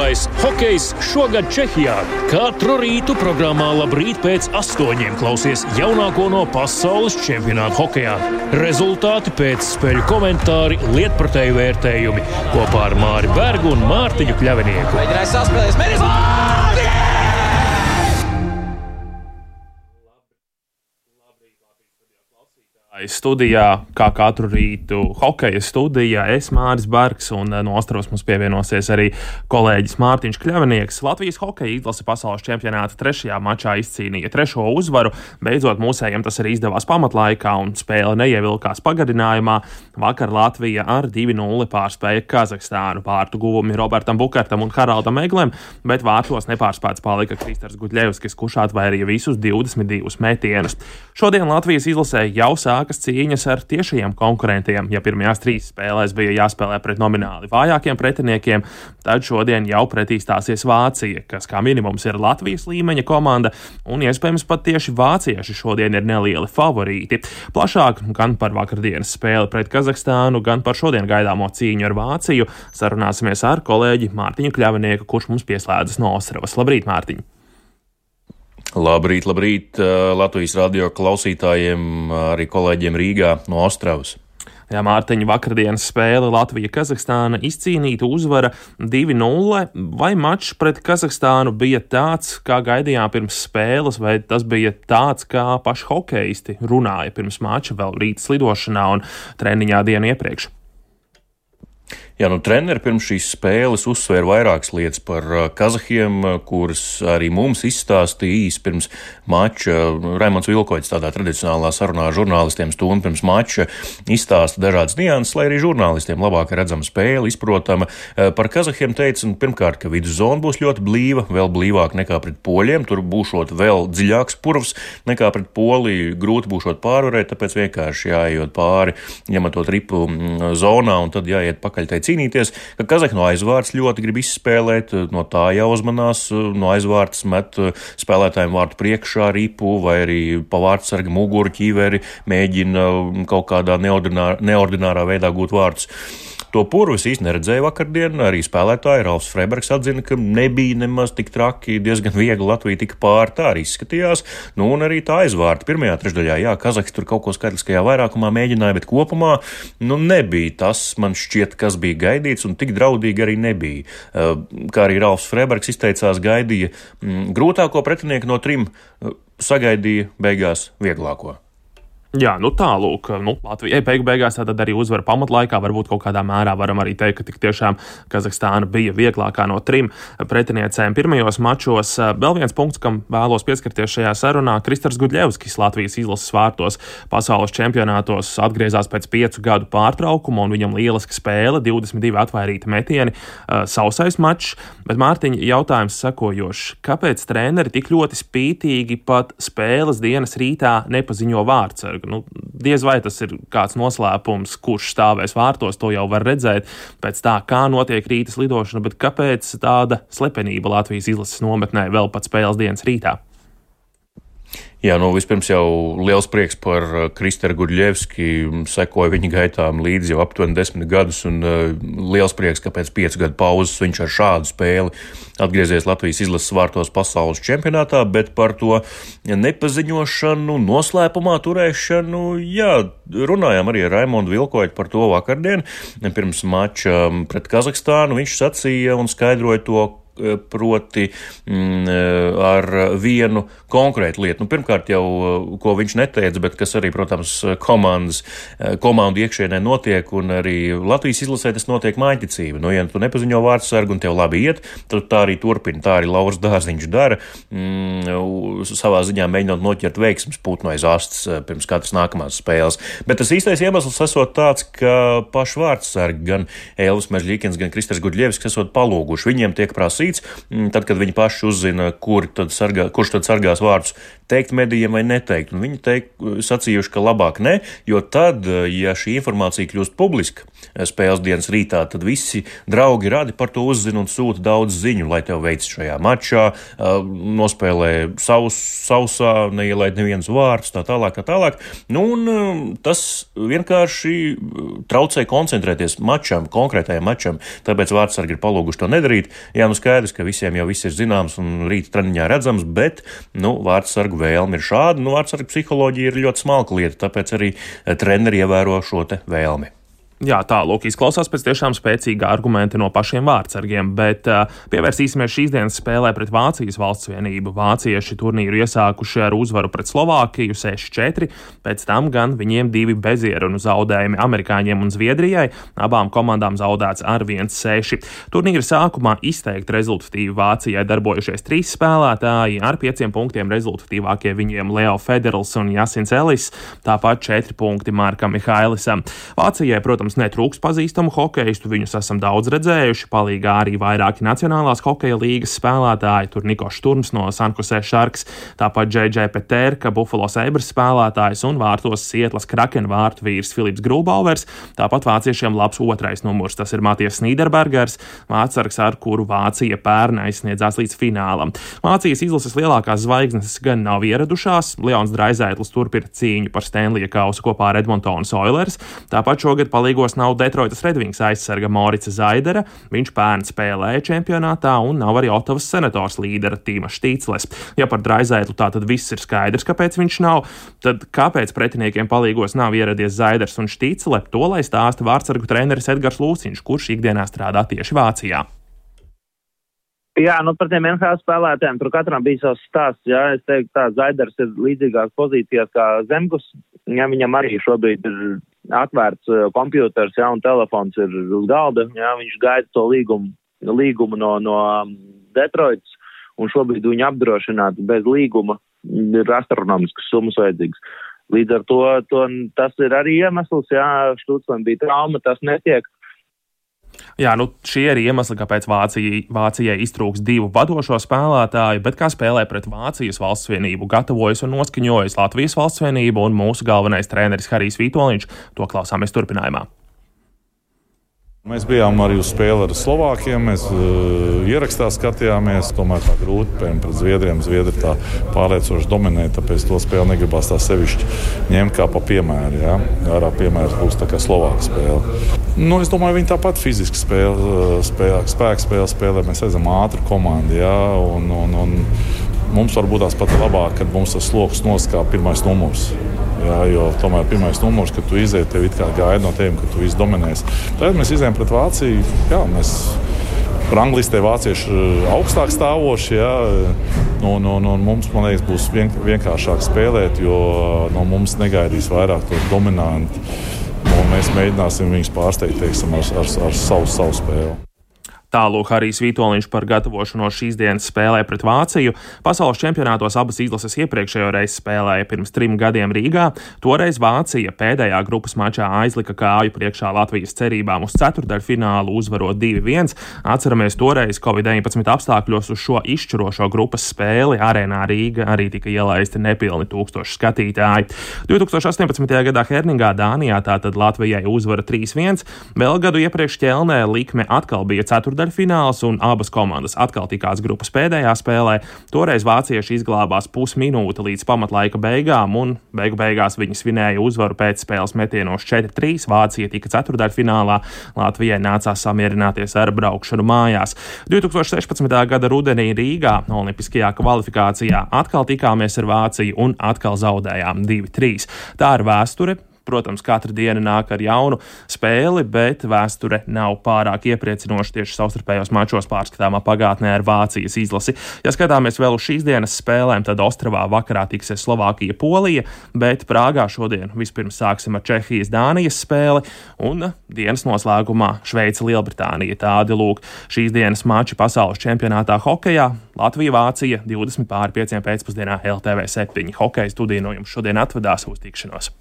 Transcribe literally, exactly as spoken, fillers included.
Labākais hokejs šogad Čehijā. Katru rītu programmā Labrīt pēc astoņiem klausies jaunāko no pasaules čempionāta hokejā. Rezultāti pēc spēļu komentāri, lietpratēju vērtējumi kopā ar Māri Bergu un Mārtiņu Kļavinieku. Mēģinājis saspēlēs, mēģinājis! Studijā, kā katru rītu, hokeja studijā, es Māris Bergs, un no Ostravas mums pievienosies arī kolēģis Mārtiņš Kļavinieks. Latvijas hokeja izlase pasaules čempionāta trešajā mačā izcīnīja trešo uzvaru. Beidzot, mūsējiem tas arī izdevās pamatlaikā, un spēle neievilkās pagarinājumā. Vakar Latvija ar divi nulle pārspēja Kazahstānu. Vārtu guvumi Robertam Bukartam un Haraldam Eglem, bet vārtos nepārspēts palika Kristers Gudļevskis, kurš atvairīja visus divdesmit divus metienus. Šodien Latvijas izlasē jau sāk cīņas ar tiešajiem konkurentiem. Ja pirmajās trīs spēlēs bija jāspēlē pret nomināli vājākiem pretiniekiem, tad šodien jau pretī stāsies Vācija, kas kā minimums ir Latvijas līmeņa komanda, un iespējams pat tieši vācieši šodien ir nelieli favorīti. Plašāk gan par vakardienas spēli pret Kazahstānu, gan par šodien gaidāmo cīņu ar Vāciju sarunāsimies ar kolēģi Mārtiņu Kļavinieku, kurš mums pieslēdzas no Ostravas. Labrīt, Mārtiņ! Labrīt, labrīt Latvijas radio klausītājiem, arī kolēģiem Rīgā no Ostravas. Jā, Mārtiņa, vakardienas spēle Latvija-Kazahstāna izcīnīta uzvara divi nulle. Vai mačs pret Kazahstānu bija tāds, kā gaidījām pirms spēles, vai tas bija tāds, kā paši hokeisti runāja pirms mača vēl rīta slidošanā un treniņā dienu iepriekš? Jā, nu treneri pirms šīs spēles uzsvēra vairākas lietas par kazahiem, kuras arī mums izstāstīja īsi pirms mača. Raimonds Vilkoits tādā tradicionālā sarunā ar žurnālistiem stundu pirms mača izstāsta dažādas nianses, lai arī žurnālistiem labāk redzama spēle, izprotama. Par kazahiem teica, pirmkārt, ka viduszona būs ļoti blīva, vēl blīvāk nekā pret poļiem, tur būšot vēl dziļāks purvs nekā pret Poliju, grūti būšot pārvarēt, tāpēc vienkārši jāiet pāri, ņematot ripu zonā un tad jāiet pakaļ tai cīnīties, ka kazahi no aizvārds ļoti grib izspēlēt, no tā jāuzmanās, no aizvārds met spēlētājiem vārtu priekšā ripu vai arī pa vārtsarga muguru ķīveri mēģina kaut kādā neordinārā, neordinārā veidā gūt vārtus. To purvu es īsti neredzēju vakardien, arī spēlētāji Ralfs Freibergs atzina, ka nebija nemaz tik traki, diezgan viegli Latvija tika pāri, tā arī izskatījās, nu un arī tā aizvārta pirmajā trešdaļā, jā, Kazahs tur kaut ko skaitliskajā vairākumā mēģināja, bet kopumā, nu nebija tas, man šķiet, kas bija gaidīts un tik draudīgi arī nebija. Kā arī Ralfs Freibergs izteicās, gaidīja grūtāko pretinieku no trim, sagaidīja beigās vieglāko. Jā, nu tālūk, nu, Latvijai beigu beigās tātad arī uzvara pamatlaikā, varbūt kaut kādā mērā varam arī teikt, ka tik tiešām Kazahstāna bija vieglākā no trim pretiniecēm pirmajos mačos. Vēl viens punkts, kam vēlos pieskarties šajā sarunā, Kristers Gudļevskis Latvijas izlases vārtos pasaules čempionātos atgriezās pēc piecu gadu pārtraukuma, un viņam lieliska spēle, divdesmit divi atvairīti metieni, sausais mačs, bet Mārtiņa jautājums sekojošs, kāpēc treneri tik ļoti spītīgi pat spēles dienas rītā nepaziņo vārtsargu? Nu, diez vai tas ir kāds noslēpums, kurš stāvēs vārtos, to jau var redzēt pēc tā, kā notiek rītas lidošana, bet kāpēc tāda slepenība Latvijas izlases nometnē vēl pat spēles dienas rītā? Jā, nu vispirms jau liels prieks par Kristeru Gudļevski, sekoja viņa gaitām līdzi jau aptuveni desmit gadus, un uh, liels prieks, ka pēc piecu gadu pauzes viņš ar šādu spēli atgriezies Latvijas izlases vārtos pasaules čempionātā, bet par to nepaziņošanu, noslēpumā turēšanu, jā, runājām arī ar Raimondu Vilkoitu par to vakardien, pirms mača pret Kazahstānu. Viņš sacīja un skaidroja to, proti mm, ar vienu konkrētu lietu. Nu, pirmkārt jau, ko viņš neteica, bet kas arī, protams, komandas, komandu iekšienē notiek, un arī Latvijas izlasē tas notiek mājiņticība. Nu, ja tu nepaziņo vārdsargu un tev labi iet, tad tā arī turpina. Tā arī Lauris Dārziņš dara, mm, savā ziņā mēģinot noķert veiksmes putnu aiz astes pirms katras nākamās spēles. Bet tas īstais iemesls esot tāds, ka paši vārdsargi, gan Elvis Mežļikins, gan Kristers Gudļevskis esot palūguši. Viņiem tiek prasīts, tad, kad viņi paši uzzina, kur tad sargā, kurš tad sargās vārdus, teikt medijiem vai neteikt. Un viņi teikt, sacījuši, ka labāk ne, jo tad, ja šī informācija kļūst publiska, spēles dienas rītā, tad visi draugi radi par to uzzina un sūta daudz ziņu, lai tev veic šajā mačā, nospēlē savus, sausā, neielaid neviens vārds, tā tālāk, tā tālāk. Nu, un tas vienkārši traucē koncentrēties mačam, konkrētajam mačam, tāpēc vārdsargi ir palūguši to nedarīt. Jā, nu skaidrs, ka visiem jau viss ir zināms un rīta treniņā redzams, bet, nu, vārdsargu vēlme ir šāda, nu, vārdsargu psiholoģija ir ļoti smalka lieta, tāpēc arī treneri ievēro šo te vēlmi. Jā, tā, lūk, izklausās pēc tiešām spēcīga argumenta no pašiem vārdsargiem, bet uh, pievērsīsimies šīs dienas spēlē pret Vācijas valsts vienību. Vācieši turnīru iesākuši ar uzvaru pret Slovākiju seši četri, pēc tam gan viņiem divi bezierunu zaudējumi amerikāņiem un Zviedrijai, abām komandām zaudēts ar viens seši. Turnīra sākumā izteikti rezultatīvi Vācijai darbojušies trīs spēlētāji, ar pieciem punktiem rezultatīvākie viņiem Leo Federls un Jasins Ellis, tāpat četri punkti Markam Mihailisam. Vācijai, protams, netrūks pazīstamu hokeistu, viņus esam daudz redzējuši, palīgā arī vairāki Nacionālās hokeja līgas spēlētāji, tur Nikošs Turms no San Jose Sharks, tāpat Džei Džei Peterka, Buffalo Sabres spēlētājs un vārtos Sietlas Kraken vārtu vīrs Filips Grūbauvers, tāpat vāciešiem labs otrais numurs, tas ir Matijas Nīderbergers, vārtsargs, ar kuru Vācija pērn aizsniedzās līdz finālam. Vācijas izlases lielākās zvaigznes gan nav ieradušās, Leons Draisaitls turpina cīņu par Stanleya kausu kopā ar Edmontonas Oilers, tāpat šogad palīgos nav Detroitas Red Wings aizsarga Morica Zaidera, viņš pērn spēlēja čempionātā un nav arī Ottavas Senators līdera Tīma Štīcles. Ja par Draisaitlu tā tad viss ir skaidrs, kāpēc viņš nav, tad kāpēc pretiniekiem palīgos nav ieradies Zaiders un Štīcle, to lai stāsta vārdsargu treneris Edgars Lūciņš, kurš ikdienā strādā tieši Vācijā. Jā, nu par tiem N H L spēlētājiem, tur katram bija savs stāsts, jā, es teiktu tā, Zaiders ir līdzīgās pozīcijās kā Zemgus, jā, viņam arī šobrīd ir atvērts uh, kompjūters, jā, un telefons ir uz galda, jā, viņš gaida to līgumu, līgumu no, no um, Detroitas, un šobrīd viņu apdrošināt bez līguma ir astronomiskas summas vajadzīgas. Līdz ar to, to tas ir arī iemesls, jā, Štuclam bija trauma, tas netiek. Jā, nu šie ir iemesli, kāpēc Vācija, Vācijai iztrūks divu vadošo spēlētāju, bet kā spēlē pret Vācijas valsts vienību gatavojas un noskaņojas Latvijas valsts vienību un mūsu galvenais treneris Harijs Vitoļņš, to klausāmies turpinājumā. Mēs bijām arī uz spēli ar Slovākiem, mēs uh, ierakstā skatījāmies, tomēr tā grūti pret Zviedriem. Zviedri tā pārliecoši dominē, tāpēc to spēli negribās tā sevišķi ņemt kā pa piemēru. Ja? Ārā piemērs būs tā kā Slovāka spēle. Nu, es domāju, viņi tāpat fiziski spēle, spēle, spēku spēle spēlē. Mēs esam ātri komandi, ja? un, un, un mums varbūt tās pat labāk, kad mums tas sloks noskā pirmais numurs. Jā, jo tomēr pirmais numurs, kad tu izēji, tev it kā gaida no tevim, ka tu visu dominēsi. Tad mēs izējām pret Vāciju, jā, mēs ranglistē vācieši augstāk stāvoši, jā, un, un, un mums, man liekas, būs vien, vienkāršāk spēlēt, jo no mums negaidīs vairāk to dominanti, un mēs mēģināsim viņus pārsteigt, teiksim, ar, ar, ar savu, savu spēli. Tālūk Harijs Vitoļņš par gatavošanos šīs dienas spēlē pret Vāciju. Pasaules čempionātos abas izlases iepriekšējo reizi spēlēja pirms trim gadiem Rīgā. Toreiz Vācija pēdējā grupas mačā aizlika kāju priekšā Latvijas cerībām uz ceturtdaļfinālu, uzvarot divi viens. Atceramies, toreiz covid deviņpadsmit apstākļos uz šo izšķirošo grupas spēli arēnā Rīga arī tika ielaisti nepilni tūkstoši skatītāji. divi tūkstoši astoņpadsmitajā gadā Herningā, Dānijā, tātad Latvijai uzvara trīs viens. Vēl gadu iepriekš Ķelnē likme atkal bija ceturtdaļfināls. Fināls un abas komandas atkal tikās grupas pēdējā spēlē. Toreiz vācieši izglābās pusminūte līdz pamatlaika beigām un beigu beigās viņi svinēja uzvaru pēc spēles metienos četri trīs. Vācija tika ceturtdaļfinālā, Latvijai nācās samierināties ar braukšanu mājās. divi tūkstoši sešpadsmitā gada rudenī Rīgā olimpiskajā kvalifikācijā atkal tikāmies ar Vāciju un atkal zaudējām divi trīs. Tā ir vēsture. Protams, katra diena nāk ar jaunu spēli, bet vēsture nav pārāk iepriecinoša tieši savstarpējos mačos pārskatāmā pagātnē ar Vācijas izlasi. Ja skatāmies vēl uz šīs dienas spēlēm, tad Ostravā vakarā tiksies Slovākija Polija, bet Prāgā šodien vispirms sāksim ar Čehijas Dānijas spēli un dienas noslēgumā Šveice Lielbritānija. Tādi lūk šīs dienas mači pasaules čempionātā hokejā. Latvija Vācija divdesmit pāri pieciem pēcpusdienā L T V septiņi. Hokeja studiju no jums šodien atvedās uz tikšanos.